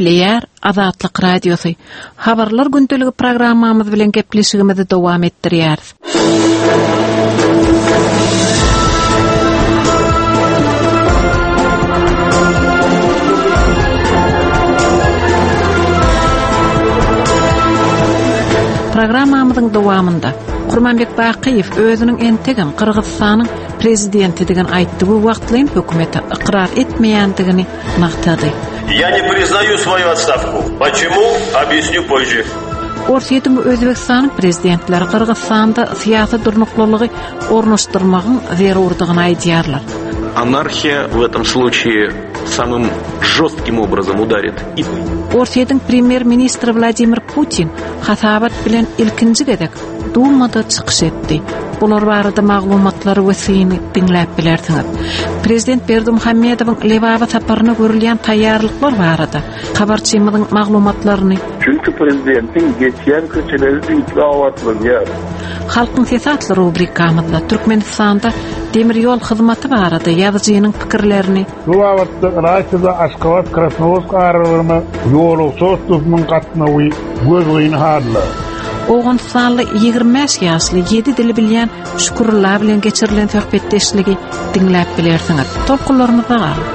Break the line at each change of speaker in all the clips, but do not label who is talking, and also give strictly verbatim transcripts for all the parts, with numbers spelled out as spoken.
Gepleýär Azatlyk Radiosy. Habarlar gündeligi programmamyz bilen gepleşigimizi dowam etdirýäris. Programmamyzyň dowamynda Kurmanbek Bakyýew özüniň entegem Gyrgyzystanyň prezidentidigini aýtdy we wagtlaýyn hökümete ykrar etmeýändigini nygtady.
Я не признаю свою отставку. Почему? Объясню позже.
Orsýetiň we Özbegistanyň prezidentleri Gyrgyzystanda syýasy durnuklylygy ornaşdyrmagyň zerurdygyny aýdýarlar.
Анархия в этом случае самым жестким образом ударит и
Orsýetiň premýer-ministri Wladimir Putin hasabat bilen ilkinji gezek Dumada çykyş etdi. Bular barada maglumatlary we syny diňläp bilersiňiz. Prezident Berdimuhamedowyň Lebaba saparyna görülýän taýýarlyklar barada habarçymyzyň maglumatlaryny
Çünki prezidentiň geçýän köçeleri düýpli abatlanýar.
Halkyň sesi atly rubrikamyzda Türkmenistanda demir ýol hyzmaty barada ýazyjynyň pikirlerini
Bu babatda Ylaýta-da Aşgabat Krasnowodsk aralygynda ýolagçy otlusynyň gatnawy gözgyny halda.
Owganystanly ýigrimi bäş ýaşly ýedi dili bilýän Şükürullah bilen geçirilen söhbetdeşligi diňläp bilersiňiz. Tolkunlarymyzda galyň.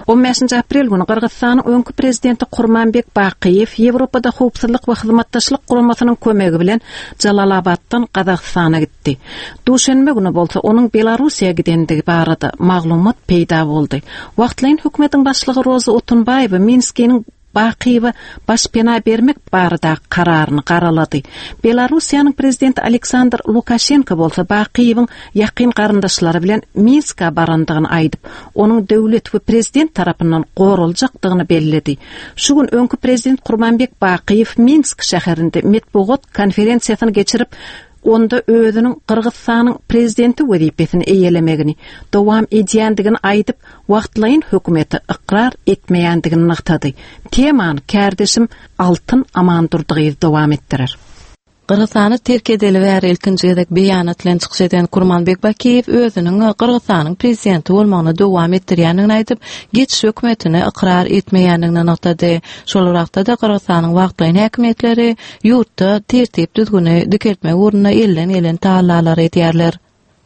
On bäşinji aprel güni Gyrgyzystanyň öňki prezidenti Kurmanbek Bakyýew Ýewropada howpsuzlyk we hyzmatdaşlyk guramasynyň kömegi bilen Jalalabatdan Gazagystana gitdi. Duşenbe güni bolsa onuň Belarusiýa gidendigi barada maglumat peýda boldy. Wagtlaýyn hökümetiň başlygy Roza Otunbaýewa Minskiniň Bakyýewe başpena bermek barada kararyny garalady. Belarusiýanyň prezidenti Aleksandr Lukaşenko bolsa Bakyýewiň ýakyn garyndaşlary bilen Minska barandygyny aýdyp, onuň döwlet we prezident tarapyndan goraljakdygyny belledi. Şu gün öňki prezident Kurmanbek Bakyýew Minsk şäherinde metbugat konferensiýasyny geçirip, onda özüniň Gyrgyzystanyň prezidenti wezipesini eýelemegini dowam edýändigini aýdyp, wagtlaýyn hökümeti ykrar etmeýändigini nygtady. Temany kärdeşim Altyn Amandurdygyz dowam etdirer.
Gyrgyzystany terk edeli bäri ilkinji gezek beýanat bilen çykyş eden Kurmanbek Bakiýew özüniň Gyrgyzystanyň prezidenti bolmagyny dowam etdirýändigini aýdyp, geçiş hökümetini ykrar etmeýändigini nygtady. Şol wagtda-da Gyrgyzystanyň wagtlaýyn häkimiýetleri ýurtda tertip düzgüni dikeltmek ugrunda elden gelen tagallalary edýärler.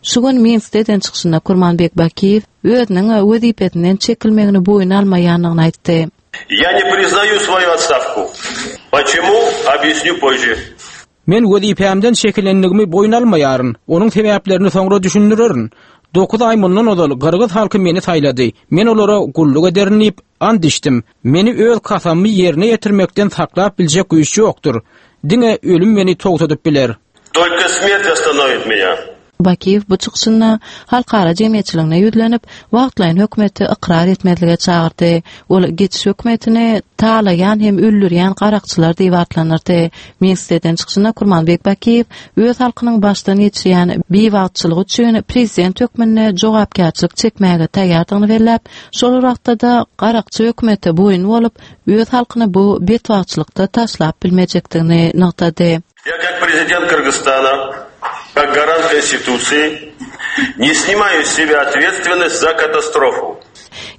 Şu gün Minskde eden çykyşynda Kurmanbek Bakiýew özüniň wezipesinden çekilmegini boýun almaýandygyny aýtdy.
Я не признаю свою отставку. Почему? Объясню позже.
Men wezipämden çekilenligimi boýun almaýaryn. Onuň sebäplerini soňra düşündirerin. Dokuz aý mundan ozal Gyrgyz halky meni saýlady. Men olara gulluk ederin diýip and içdim. Meni öz kasamymy ýerine ýetirmekden saklap biljek güýç ýokdur. Diňe ölüm meni togtadyp biler.
Только смерть остановит меня.
Bakiýew bu çykyşynda halkara jemgyýetçiligine ýüzlenip, wagtlaýyn hökümeti ykrar etmezlige çagyrdy. Ol geçiş hökümetini talaýan hem öldürýän garakçylar diýip atlandyrdy. Minskde eden çykyşynda Kurmanbek Bakiýew öz halkynyň başdan geçirýän biwagtçylygy üçin prezident hökmünde jogapkärçilik çekmäge taýýardygyny belläp, şol wagtda-da garakçy hökümete boýun bolup, öz halkyny bu betbagtçylykda taşlap bilmejekdigini nygtady.
Я как президент Кыргызстана, как гарант Конституции, не снимаю с себя ответственность за катастрофу.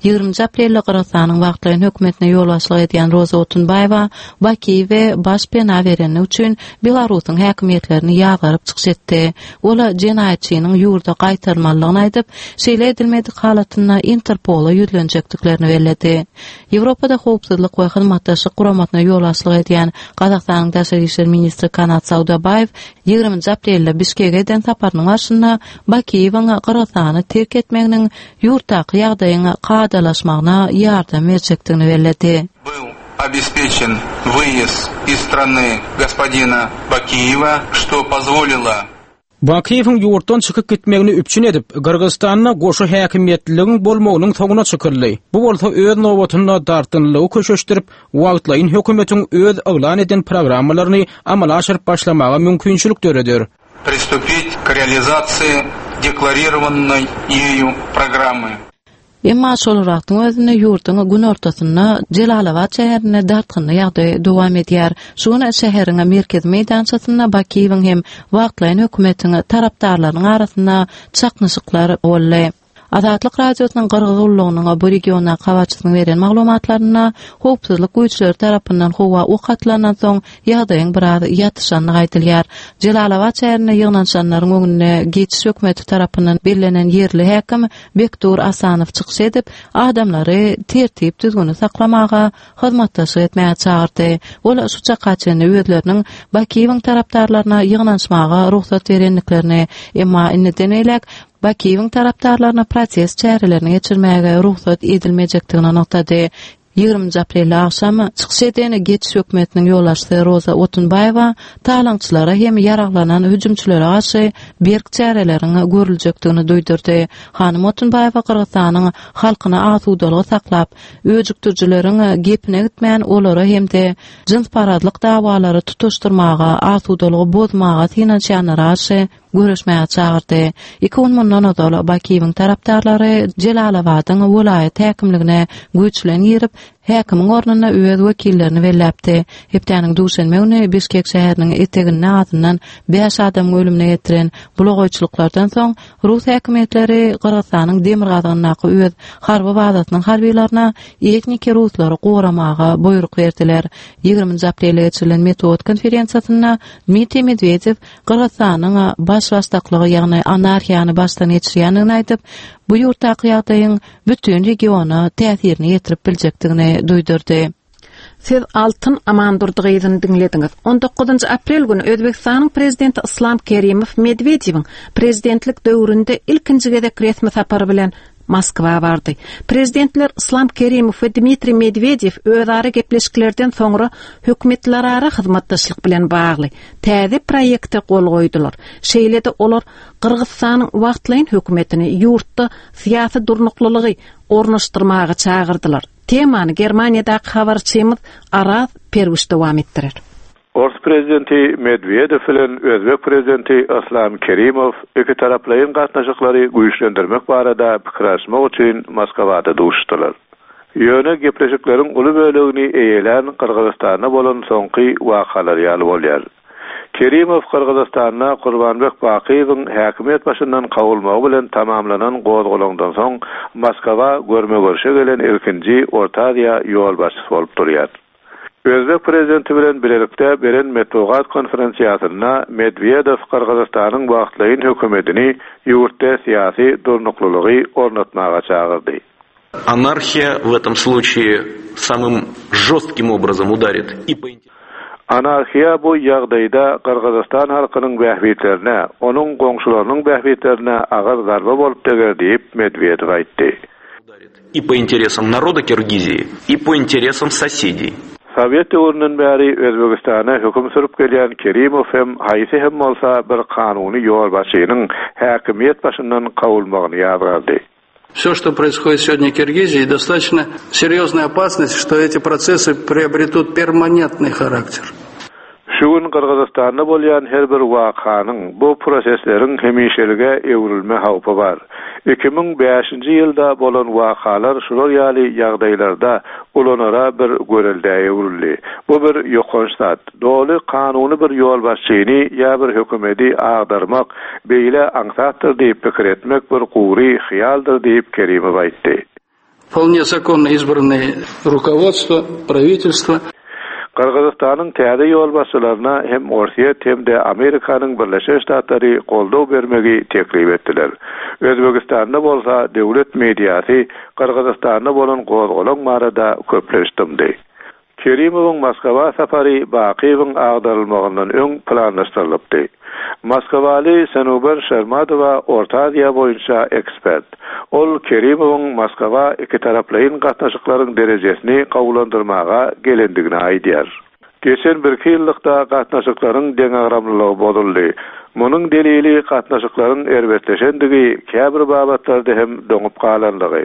Ýigriminji aprelde Gyrgyzystanyň wagtlaýyn hökümetine ýolbaşçylyk edýän Roza Otunbaýewa Bakiýewe baş pena bereni üçin Belarusyň häkimiýetlerini ýazgaryp çykyş etdi. Ol jenaýatçynyň ýurda gaýtarmalydygyny aýdyp, şeýle edilmedik halatynda Interpola ýüzlenjekdiklerini belledi. Ýewropada howpsuzlyk we hyzmatdaşlyk guramasyna ýolbaşçylyk edýän Gazagystanyň daşary işler ministri Kanat Saudabaýew ýigriminji aprelde Bişkege eden saparynyň barşynda Bakiýewiň Gyrgyzystany terk etmeginiň ýurtdaky ýagdaýyň kadalaşmagyna ýardam berjekdigini belledi.
Был обеспечен выезд из страны господина Бакиева, что позволило
Bakiýewiň ýurtdan çykyp gitmegini üpjün edip, Gyrgyzystanda goşa häkimiýetliligiň bolmagynyň soňuna çykyldy. Bu bolsa öz nobatynda dartgynlygy köşeşdirip, wagtlaýyn hökümetiň öz yglan eden programmalaryny amala aşyryp başlamaga mümkinçilik döreder.
Приступить к реализации декларированной ею программы.
Emma şol wagtyň özünde ýurduň günortasynda Jelalabat şäherinde dartgynly ýagdaý dowam edýär. Şu gün şäheriň merkezi meýdançasynda Bakiýewiň hem wagtlaýyn hökümetiň tarapdarlarynyň arasynda çaknyşyklar boldy. Azatlyk Radiosynyň Gyrgyz gullugynyň bu regiondaky habarçysynyň beren maglumatlarynda howpsuzlyk güýçleri tarapyndan howa ok atylandan soň ýagdaýyň biraz ýatyşandygy aýdylýar. Jelalabat şäherinde ýygnanyşanlaryň öňünde geçiş hökümeti tarapyndan bellenen ýerli häkim Bekdur Asanow çykyş edip, adamlary tertip düzgüni saklamaga, hyzmatdaşlyk etmäge çagyrdy. Ol şu çaka çenli özleriniň Bakiýewiň tarapdarlaryna ýygnanyşmaga rugsat berendiklerini, emma indiden beýläk Bakiýewiň tarapdarlaryna protest çärelerini geçirmäge rugsat edilmejekdigini nygtady. Ýigriminji aprelde agşam çykyş eden geçiş hökümetiniň ýolbaşçysy Roza Otunbaýewa talaňçylara hem ýaraglanan hüjümçilere garşy berk çäreleriň görüljekdigini duýdurdy. Hanym Otunbaýewa Gyrgyzystanyň halkyna asudalygy saklap, öjükdirijileriň gepine gitmän olara hem-de jynsparazlyk dawalary tutaşdyrmaga, asudalygy bozmaga synanyşýanlara garşy göreşmäge çagyrdy. Iki gün mundan ozal Bakiýewiň tarapdarlary Jelalabadyň welaýat häkimligine güýç bilen girip, häkimiň ornuna öz wekillerini belläpdi. Hepdäniň duşenbe güni Bişkek şäheriniň eteginde azyndan bäş adamyň ölümine getiren bulagaýçylyklardan soň rus häkimiýetleri Gyrgyzystanyň demirgazygyndaky öz harby bazasynyň harbylaryna etniki ruslary goramaga buýruk berdiler. Ýigriminji aprelde geçirilen metbugat konferensiýasynda Dmitriý Medwedew Gyrgyzystanyň baş-başdaklygy, ýagny anarhiýany başdan geçirýändigini aýdyp, bu ýurtdaky ýagdaýyň bütin regiona täsirini ýetirip biljekdigini duýdurdy.
Siz Altyn Amandurdy gyzyny diňlediňiz. On dokuzynjy aprel güni Özbegistanyň prezidenti Islam Kerimow Medwedewiň prezidentlik döwründe ilkinji gezek resmi sapary bilen Moskwa bardy. Prezidentler Islam Kerimow we Dmitriý Medwedew özara gepleşiklerden soňra hökümetlerara hyzmatdaşlyk bilen bagly täze proýekte gol goýdular. Şeýle-de olar Gyrgyzystanyň wagtlaýyn hökümetini ýurtda syýasy durnuklylygy ornaşdyrmaga çagyrdylar. Temany Germaniýadaky habarçymyz Araz Perwiş dowam etdirer.
Ors prezidenti Medwedew bilen Özbek prezidenti Islam Kerimow iki taraplaýyn gatnaşyklary güýçlendirmek barada pikir alyşmak üçin Moskwada duşdular. Ýöne gepleşikleriň uly bölegini eýelän Gyrgyzystanda bolan soňky wakalar ýaly bolýar. Kerimow Gyrgyzystanda Kurbanbek Bakiýewiň häkimiýet başyndan kowulmagy bilen tamamlanan gozgalaňdan soň Moskwa görme-görşe gelen ilkinji Orta Aziýa ýolbaşçysy bolup durýar. Özbek prezidenti bilen bilelikde beren metbugat konferensiýasynda Medwedew Gyrgyzystanyň wagtlaýyn hökümetini ýurtda syýasy durnuklylygy ornatmaga çagyrdy.
Anarhiýa в этом случае самым жестким образом ударит и по
Anarhiýa bu ýagdaýda Gyrgyzystan halkynyň bähbitlerine, onuň goňşularynyň bähbitlerine agyr zarba bolup deger diýip Medwedew aýtdy.
И по интересам народа Киргизии, и по интересам соседей.
Sowet döwründen bäri Özbegistana höküm sürüp gelýän Kerimow hem haýsy hem bolsa bir kanuny ýolbaşçynyň häkimiýet başyndan kowulmagyny ýazgardy.
Все, что происходит сегодня в Киргизии, достаточно серьезная опасность, что эти процессы приобретут перманентный характер.
Şu gün Gyrgyzystanda bolýan her bir wakanyň bu prosesleriň hemişelige öwrülme howpy bar. Iki müň bäşinji ýylda bolan wakalar şular ýaly ýagdaýlarda ulanara bir göreldä öwrüldi. Bu bir ýokanç zat. Doly kanuny bir ýolbaşçyny ýa bir hökümeti agdarmak beýle aňsatdyr diýip pikir etmek bir gury hyýaldyr diýip Kerimow aýtdy.
Вполне законно избранное руководство, правительство.
Gyrgyzystanyň täze ýolbaşçylaryna hem Orsýet hem-de Amerikanyň Birleşen Ştatlary goldaw bermegi teklip etdiler. Özbegistanda bolsa döwlet mediasy Gyrgyzystanda bolan gozgalaň barada köplenç dymdy. Kerimowyň Moskwa safary Bakiýewiň agdarylmagyndan öň planlaşdyrylypdy. Moskwaly Senuber Şermadowa Orta Aziýa boýunça ekspert. Ol Kerimowyň Moskwa iki taraplaýyn gatnaşyklaryň derejesini gowulandyrmaga gelendigini aýdýar. Geçen bir iki ýyllykda gatnaşyklaryň deňagramlylygy bozuldy. Munuň delili gatnaşyklaryň erbetleşendigi, käbir babatlarda hem doňup galanlygy.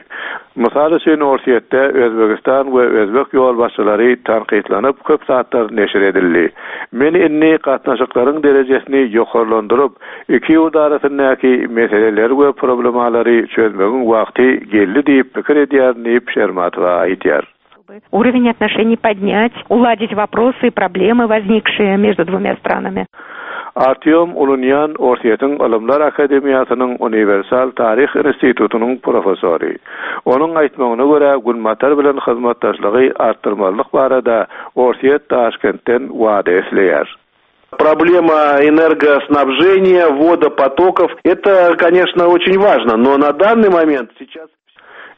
Mysal üçin Orsýetde Özbegistan we Özbek ýolbaşçylary tankytlanyp köp saatlar neşir edildi. Men indi gatnaşyklaryň derejesini ýokarlandyryp, iki ýurt arasyndaky meseleleri we problemalary çözmegiň wagty geldi diýip pikir edýär diýip Şermatowa aýdýar.
Уровень отношений поднять, уладить вопросы и проблемы, возникшие между двумя странами.
Artyom Ulunýan Orsýetiň Ylymlar Akademiýasynyň Uniwersal Taryh Institutynyň professory. Onuň aýtmagyna görä Günbatar bilen hyzmatdaşlygy artdyrmalyk barada Orsýet Daşkentden wada isleýär.
Проблема энергоснабжения, водопотоков – это, конечно, очень важно, но на данный момент сейчас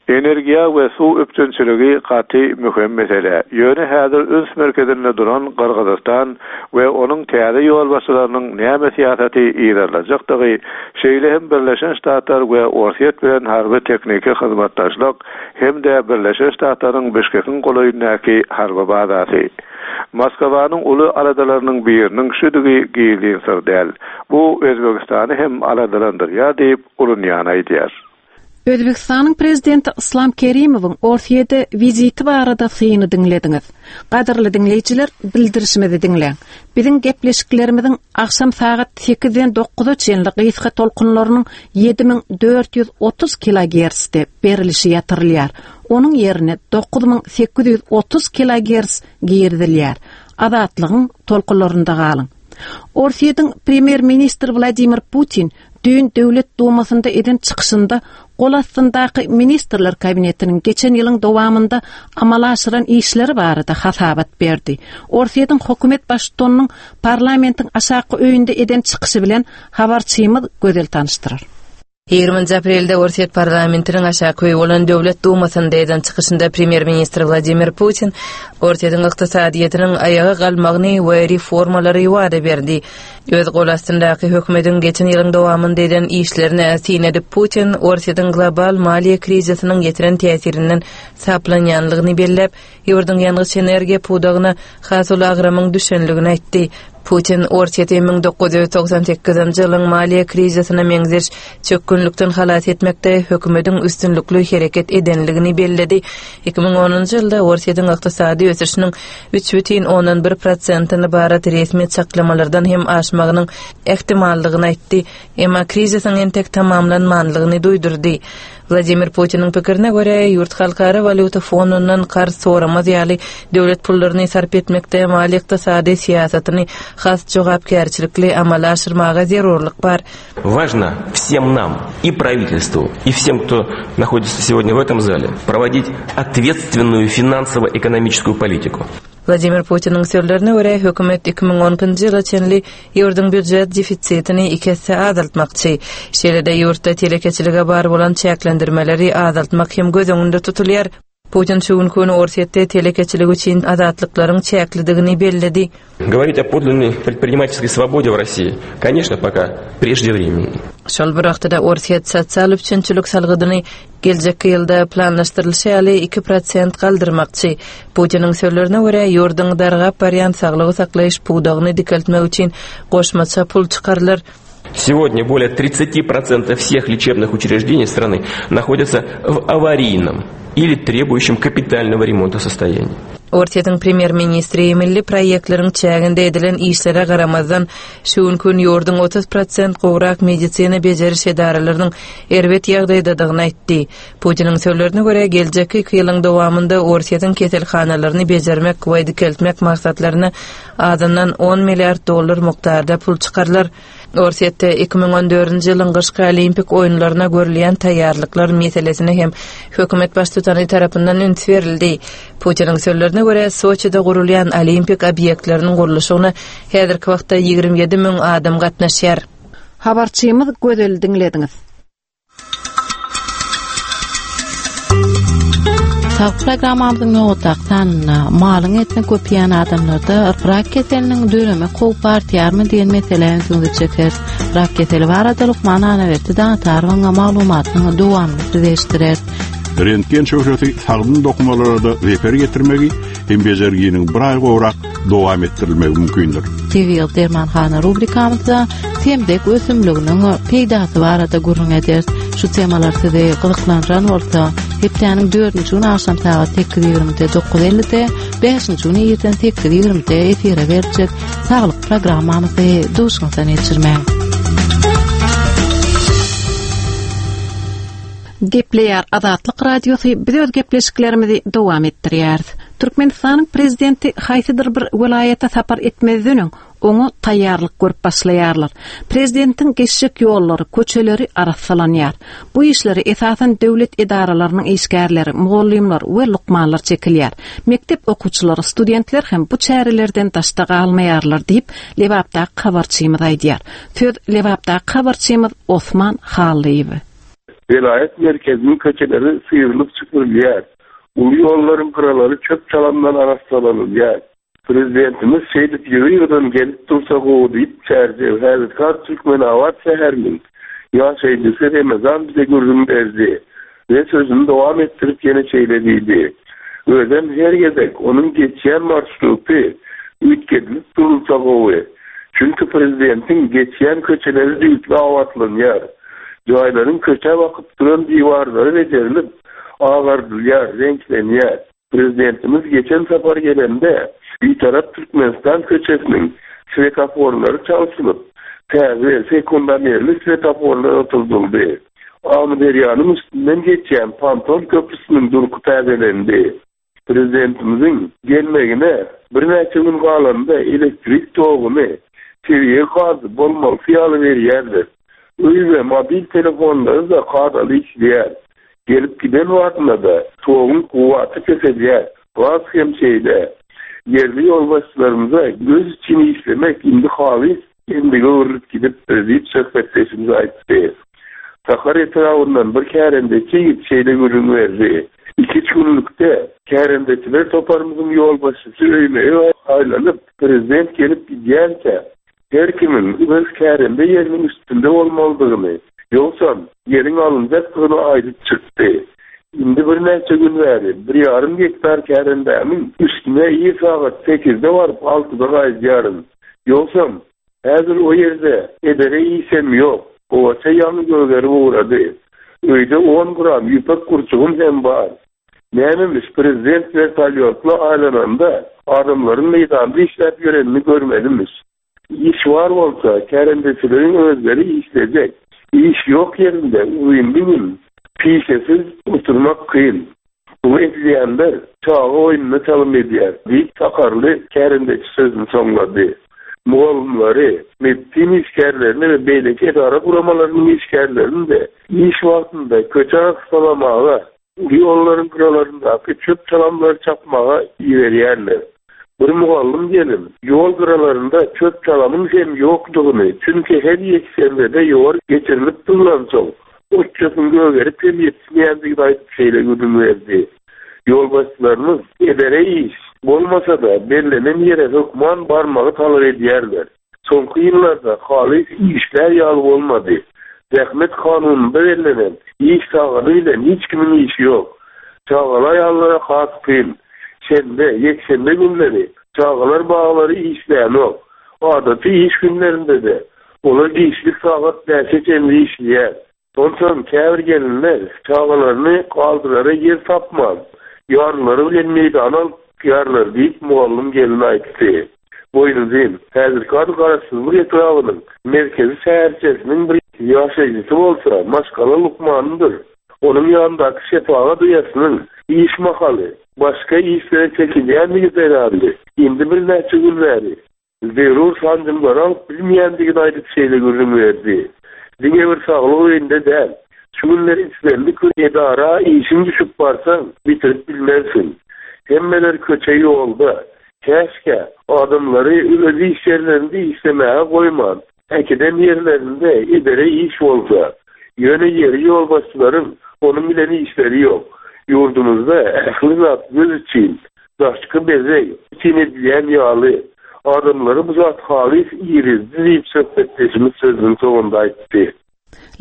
Energiýa we suw üpjünçiligi gaty möhüm mesele. Ýöne häzir üns merkezinde duran Gyrgyzystan we onuň täze ýolbaşçylarynyň näme syýasaty yzarlajakdygy, şeýle hem Birleşen Ştatlar we Orsýet bilen harby tehniki hyzmatdaşlyk hem-de Birleşen Ştatlaryň Bişkekiň golaýyndaky harby bazasy. Moskwanyň uly aladalarynyň biriniň şudigi gizlin syr däl. Bu Özbegistany hem aladalandyrýar diýip Ulunýan aýdýar.
Özbegistanyň prezidenti Islam Kerimowyň Orsýete wiziti barada syny diňlediňiz. Gadyrly diňleýjiler, bildirişimizi diňläň. Biziň gepleşiklerimiziň agşam sagat sekizden dokuza çenli gysga tolkunlarynyň ýedi müň dört ýüz otuz kilogertzde berilişi ýatyrylýar. Onuň ýerine dokuz müň sekiz ýüz otuz kilogertz girizilýär. Azatlygyň tolkunlarynda galyň. Orsýetiň premýer-ministri Wladimir Putin düýn Döwlet Dumasynda eden çykyşynda gol astyndaky ministrler kabinetiniň geçen ýylyň dowamynda amala aşyran işleri barada hasabat berdi. Orsýetiň hökümet baştutanynyň parlamentiň aşaky öýünde eden çykyşy bilen habarçymyz Gözel tanyşdyrar.
Ýigriminji aprelde Orsýet parlamentiniň aşaky öýi bolan Döwlet Dumasynda eden çykyşynda premýer-ministr Wladimir Putin Orsýetiň ykdysadyýetiniň aýaga galmagyny we reformalary wada berdi. Öz gol astyndaky hökümetiň geçen ýylyň dowamynda eden işlerine syn edip Putin Orsýetiň global maliýe krizisiniň ýetiren täsirinden saplanýanlygyny belläp, ýurduň ýangyç energiýa pudagyna has uly agramyň düşenligini aýtdy. Putin Orsýeti müň dokuz ýüz togsan sekizinji ýylyň maliýe krizisine meňzeş çökgünlikden halas etmekde hökümetiň üstünlikli hereket edenligini belledi. Iki müň onunjy ýylda Orsýetiň ykdysady ösüşiniň üç bütin ondan bir prosentini barat resmi çaklamalardan hem aşmagynyň ähtimallygyny aýtdy. Emma krizisiň entek tamamlanmanlygyny duýdurdy. Wladimir Putiniň pikirine görä, ýurt halkara walýuta fonundan karz soramaz ýaly döwlet pullaryny sarp etmekde maliýe ykdysady syýasatyny has jogapkärçilikli amala aşyrmaga zerurlyk bar.
Важно всем нам, и правительству, и всем, кто находится сегодня в этом зале, проводить ответственную финансово-экономическую политику.
Wladimir Putiniň sözlerine görä, hökümet iki müň on ikinji ýyla çenli ýurduň býujet defisitini iki esse azaltmakçy. Şeýle-de ýurtda telekeçilige bar bolan çäklendirmeleri azaltmak hem göz öňünde tutulýar. Putin şu günki güni Orsýetde telekeçilik üçin azatlyklaryň çäklidigini belledi.
Говорить о подлинной предпринимательской свободе в России, конечно, пока преждевременно.
Şol bir wagtda Orsýet sosial üpjünçilik salgydyny geljekki ýylda planlaşdyrylyşy ýaly iki prosent galdyrmakçy. Putiniň sözlerine görä, ýurduň dargap barýan saglygy saklaýyş pudagyny dikeltmek üçin goşmaça pul çykarylar.
Сегодня более тридцати процентов всех лечебных учреждений страны находятся в аварийном или требующем капитального ремонта состоянии.
Orsýetiň premýer-ministri milli proýektleriň çäginde edilen işlere garamazdan şu günki gün ýurduň otuz prosent gowrak medisina bejeriş edaralarynyň erbet ýagdaýdadygyny aýtdy. Putiniň sözlerine görä, geljekki iki ýylyň dowamynda Orsýetiň keselhanalaryny bejermek we dikeltmek maksatlaryna azyndan on milliard dollar mukdarda pul çykarylar. Orsýetde iki müň on dördünji ýylyň gyşky olimpik oýunlaryna görülýän taýýarlyklar meselesine hem hökümet baştutany tarapyndan üns berildi. Putiniň sözlerine görä, Soçide gurulýan olimpik obýektleriniň gurluşygyna häzirki wagtda ýigrimi ýedi müň adam gatnaşýar.
Habarçymyz Gözel diňlediňiz.
Sağ programmamyzyň nobatdaky sanynda malyň etini köpýän adamlarda rak keseliniň döreme howpy artýarmy diýen meselä ünsüňizi çekeris. Rak keseli barada lukman Anaberdi Daňatarowyň maglumatynyň dowamyny size eşitdireris.
Rentgen şöhlesi sagdyn dokumalara da zeper getirmegi hem bejerginiň bir aý gowrak dowam etdirilmegi mümkindir.
Tebigy dermanhana rubrikamyzda semdek ösümliginiň peýdasy barada gürrüň ederis. Şu temalar sizi gyzyklandyran bolsa, hepdäniň dördünji güni agşam sagat sekiz ýigrimide dokuz ellide, bäşinji güni irden sekiz ýigrimide efire berjek saglyk programmamyzy duşuňyzdan geçirmäň.
Gepleýär Azatlyk Radiosy biz öz gepleşiklerimizi dowam etdirýäris. Türkmenistanyň prezidenti haýsydyr bir welaýata sapar etmezden öň oňa taýýarlyk görüp başlaýarlar. Prezidentiň geçjek ýollary, köçeleri arassalanýar. Bu işleri esasan döwlet edaralarynyň işgärleri, mugallymlar we lukmanlar çekilýär. Mekdep okuwçylary, studentler hem bu çärelerden daşda galmaýarlar diýip, Lebapdaky habarçymyz aýdýar. Söz Lebapdaky habarçymyz Osman Hallyýew.
Welaýat merkeziniň köçeleri syrylyp süpürilýär. Uly ýollaryň gyralary çöp-çalamdan arassalanylýar. Prezidentimiz şeýdip ýygy-ýygydan gelip dursa gowy diýip, Çärjew, häzirki ady Türkmenabat şäheriniň ýaşaýjysy Remezan bize gürrüň berdi we sözüni dowam etdirip ýene şeýle diýdi, Özem her gezek onuň geçýän marşruty üýtgedilip durulsa gowy. Çünki prezidentiň geçýän köçeleri düýpli abatlanýar. Jaýlaryň köçä bakyp duran diwarlary bejerilip, agardylýar, reňklenýär. Prezidentimiz geçen sapar gelende, Bitarap Türkmenistan köçesiniň swetoforlary çalşylyp, täze, sekundomerli swetoforlar oturdyldy. Amyderýanyň üstünden geçýän ponton köprüsiniň durky täzelendi. Prezidentimiziň gelmegine birnäçe gün galanda elektrik toguny, tebigy gazy bolmalysy ýaly berýärler. Öý we mobil telefonlary-da kadaly işleýär. Gelip giden wagtynda-da toguň kuwwaty peselýär, gaz hem şeýle. Ýerli ýolbaşçylarymyza göz üçin işlemek indi halys endige öwrülip gidipdir diýip, söhbetdeşimiz aýtdy. Sakar etrabyndan bir kärendeçi ýigit şeýle gürrüň berdi, Iki-üç günlükde kärendeçiler toparymyzyň ýolbaşçysy öýme-öý aýlanyp, prezident gelip gidýänçä, her kimiň öz kärende ýeriniň üstünde bolmalydygyny, ýogsam, ýeriň alynjakdygyny aýdyp çykdy. Indi birnäçe gün bäri bir ýarym gektar kärendämiň üstüne ir sagat sekizde baryp, altyda gaýdýaryn. Ýogsam, häzir o ýerde edere işem ýok. Gowaça ýaňy gögerip ugrady. Öýde on gram ýüpek gurçugym hem bar. Nämemiş, prezident wertolýotla aýlananda adamlaryň meýdanda işläp ýörenini görmelimiş. Iş bar bolsa, kärendeçileriň özleri işlejek. Iş ýok ýerinde uzynly gün pişesiz oturmak kyn. Muny edilýänler çaga oýnuna çalym edýär, diýip, sakarly kärendeçi sözüni soňlady. Mugallymlary, medisina işgärlerini we beýleki edara-guramalarynyň işgärlerini-de iş wagtynda köçe arassalamaga, uly ýollaryň gyralaryndaky çöp-çalamlary çapmaga iberýärler. Bir mugallym gelin ýol gyralarynda çöp-çalamyň hem ýokdugyny, çünki her ýekşenbede ýowar geçirilip durlansoň, ot-çöpüň gögerip hem ýetişmeýändigini aýdyp şeýle gürrüň berdi, Ýolbaşçylarymyz edere iş bolmasa-da, bellenen ýere hökman barmagy talap edýärler. Soňky ýyllarda halys işlär ýaly bolmady. Zähmet kanunynda bellenen iş sagady bilen hiç kimiň işi ýok. Çagaly aýallara has kyn. Şenbe, ýekşenbe günleri çagalar baglary işlänok. Adaty iş günlerinde-de olar giçlik sagat bäşe çenli işleýär. Onsoň käbir gelinler çagalaryny galdyrara ýer tapman, ýarlary bilen meýdana alyp çykýarlar diýip, mugallym gelin aýtdy. Boýnuzyn, häzirki ady Garaşsyzlyk etrabynyň merkezi şäherçesiniň bir ýaşaýjysy bolsa, maşgala lukmanydyr. Onuň ýanyndaky şepagat uýasynyň iş mahaly başga işlere çekilýändigi zerarly, indi birnäçe gün bäri zerur sanjymlary alyp bilmeýändigini aýdyp şeýle gürrüň berdi, Diňe bir saglyk öýünde däl, şu günler islendik bir edara işiň düşüp barsaň, bitirip bilmersiň. Hemmeler köçe-ýolda. Käşgä, adamlary öz iş ýerlerinde işlemäge goýman, äkiden ýerlerinde edere iş bolsa. Ýöne ýeri ýolbaşçylaryň onuň bilen işleri ýok. Ýurdumyzda ähli zat göz üçin, daşky bezeg üçin edilýän ýaly. Adamlary bu zat halys irizdi diýip, söhbetdeşimiz sözüniň soňunda aýtdy.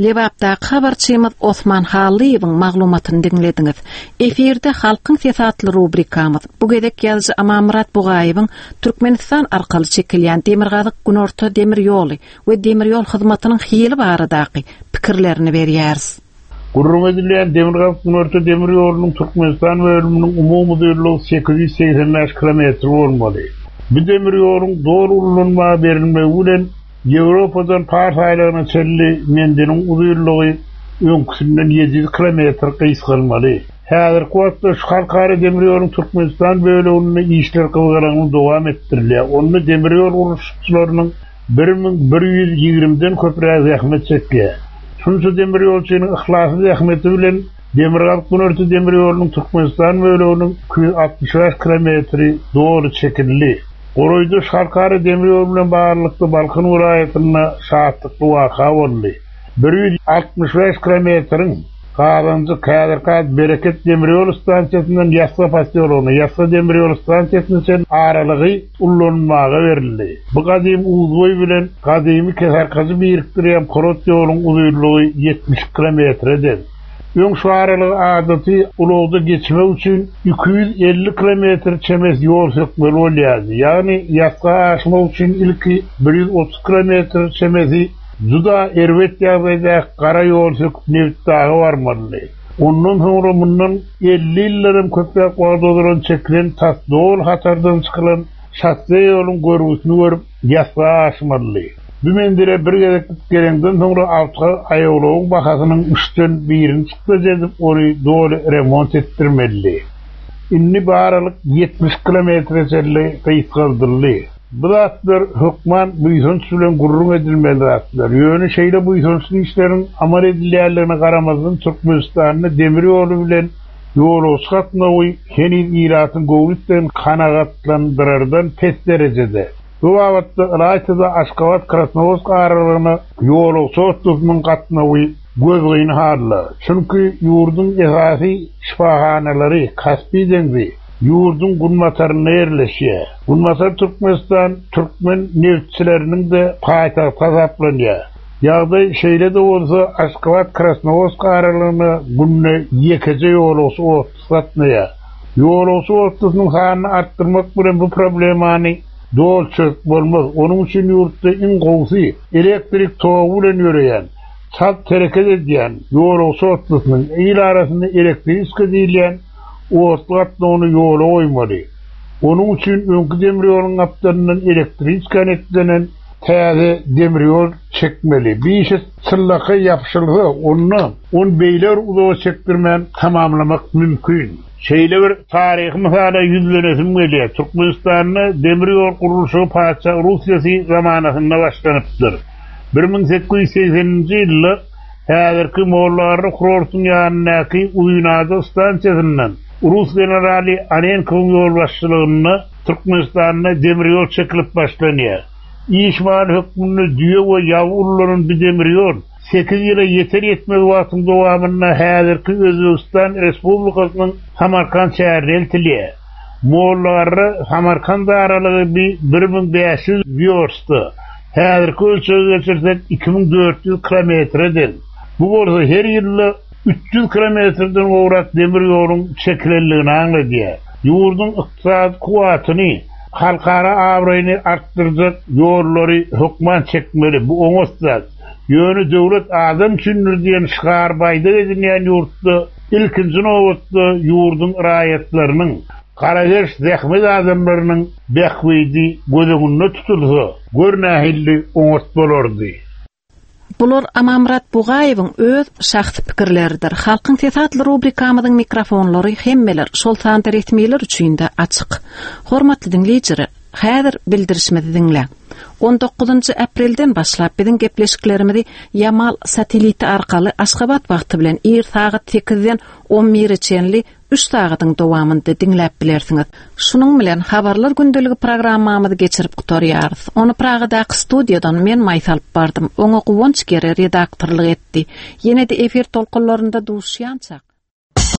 Lebapdaky habarçymyz Osman Hallyýewiň maglumatyny diňlediňiz. Efirde Halkyň sesi atly rubrikamyz. Bu gezek ýazyjy Amanmyrat Bugaýewiň Türkmenistan arkaly çekilýän Demirgazyk-Günorta demir ýoly we demir ýol hyzmatynyň hili baradaky pikirlerini berýäris.
Gürrüň edilýän Demirgazyk-Günorta demir ýolunyň Türkmenistan bölüminiň umumy uzynlygy sekiz ýüz segsen bäş kilometr bolmaly. Bu demir ýoluň doly ulanmaga berilmegi bilen Ýewropadan Pars aýlagyna çenli menziliň uzynlygy öňküsinden ýedi ýüz kilometr gysgalmaly. Häzirki wagtda şu halkara demir ýoluň Türkmenistan bölüminde işler gyzgalaňly dowam etdirilýär. Onda demir ýol gurluşykçylarynyň bir müň bir ýüz ýigrimiden köpräk zähmet çekýär. Şunça demir ýolçynyň yhlasy zähmeti bilen Demirgazyk Günorta demir ýolunyň Türkmenistan bölüminiň iki ýüz altmyş bäş kilometri doly çekildi. Golaýda şu halkara demir ýol bilen baglylykda Balkan welaýatynda şatlykly waka boldy. bir ýüz altmyş bäş kilometriň Gazanjyk häzirki Bereket demir ýol stansiýasyndan Ýasga posýologyna, Ýasga demir ýol stansiýasyna çenli aralygy ullanmaga berildi. Bu gadymy Uzboý bilen gadymy Kesarkajy birikdirýän polat ýoluň uzynlygy ýetmiş kilometre deň. Öň şu aralygy adaty ulagda geçmek üçin iki ýüz elli kilometr çemesi ýol sökmeli bolýardy. Ýagny Ýasga aşmak üçin ilki bir ýüz otuz kilometr çemesi juda erbet ýagdaýda gara ýol söküp Nebitdaga barmalydy. Ondan soňra mundan elli ýyllaram köpräk wagt ozalan çekilen tas doly hatardan çykylan şosse ýoluň görgüsini görüp Ýasga aşmalydy. Bu menzile bir gezek gelenden soňra awto aýawlawyň bahasynyň üçden birini çykdajy edip ony doly remont etdirmelidi. Indi baralyk ýetmiş kilometre çenli gysgaldyldy. Bu zatlar hökman buýsanç bilen gurrun edilmeli zatlar. Ýöne şeýle buýsançly işleriň amal edilýänligine garamazdan Türkmenistanda demir ýoly bilen ýolagçy gatnawy heniz ilatyň göwnünden kanagatlandyrardan pes derejede. Bu babatda ylaýtada Aşgabat Krasnowodsk aralygyna ýolagçy otlusynyň gatnawy gözgyny halda. Çünki ýurduň esasy şypahanalary Kaspi deňzi ýurduň günbatarynda ýerleşýär. Günbatar Türkmenistan türkmen nebitçileriniň de paýtagty hasaplanýar. Ýagdaý şeýle-de bolsa Aşgabat Krasnowodsk aralygyna günde ýekeje ýolagçy otlusy gatnaýar. Ýolagçy otlusynyň sanyny artdyrmak bilen bu problemany doly çözüp bolmaz. Onuň üçin ýurtda iň gowusy elektrik togy bilen ýöreýän, çalt hereket edýän ýolagçy otlusynyň il arasynda elektriska diýilýän otly gatnawyny ýola goýmaly. Onuň üçin öňki demir ýoluň gapdalyndan elektriska netlenen täze demir ýol çekmeli. Bir işe çyllaka ýapyşylsa, onda on beýler uzaga çekdirmän tamamlamak mümkin. Şeýle bir taryhy mysala ýüzlenesim gelýär. Türkmenistanda demir ýol gurluşygy Patyşa Russiýasy zamanasynda başlanypdyr. bir müň sekiz ýüz segseninji ýylda häzirki Mollagarry kurortyň ýanyndaky Uzynada stansiýasyndan Rus generaly Anenkowyň ýolbaşçylygynda Türkmenistanda demir ýol çekilip başlanýar. Iş maly hökmünde düýe we ýaw ullanan bir demir ýol sekiz ýyla ýeter ýetmez wagtyň dowamynda häzirki Özbegistan Respublikasynyň Samarkand şäherine eltilýär. Mollagarry Samarkand aralygy bir bir müň bäş ýüz wýorsta, häzirki ölçege geçirsek iki müň dört ýüz kilometre deň. Bu bolsa her ýylda üç ýüz kilometrden gowrak demir ýoluň çekilenligini aňladýar. Ýurduň ykdysady kuwwatyny, halkara abraýyny artdyrjak ýollary hökman çekmeli. Bu oňat zat. Ýöne döwlet adam üçindir diýen şygar baýdak edinýän ýurtda ilkinji nobatda ýurduň raýatlarynyň, garageş zähmet adamlarynyň bähbidi göz öňünde tutulsa, gör nähili oňat bolardy.
Bular Amanmyrat Bugaýewiň öz şahsy pikirleridir. Halkyň sesi atly rubrikamyzyň mikrofonlary hemmeler, şol sanda resmiler üçin de açyk. Hormatly diňleýjiler, häzir bildirişimizi diňläň. on dokuzynjy aprelden başlap biziň gepleşiklerimizi Ýamal sateliti arkaly Aşgabat wagty bilen ir sagat sekizden on bire çenli üç sagatyň dowamynda diňläp bilersiňiz. Şunuň bilen habarlar gündeligi programmamyzy geçirip gutarýarys. Ony Pragadaky studiýadan men Maýsa alyp bardym. Oňa Guwanç Gere redaktorlyk etdi. Ýene-de efir tolkunlarynda duşýançak.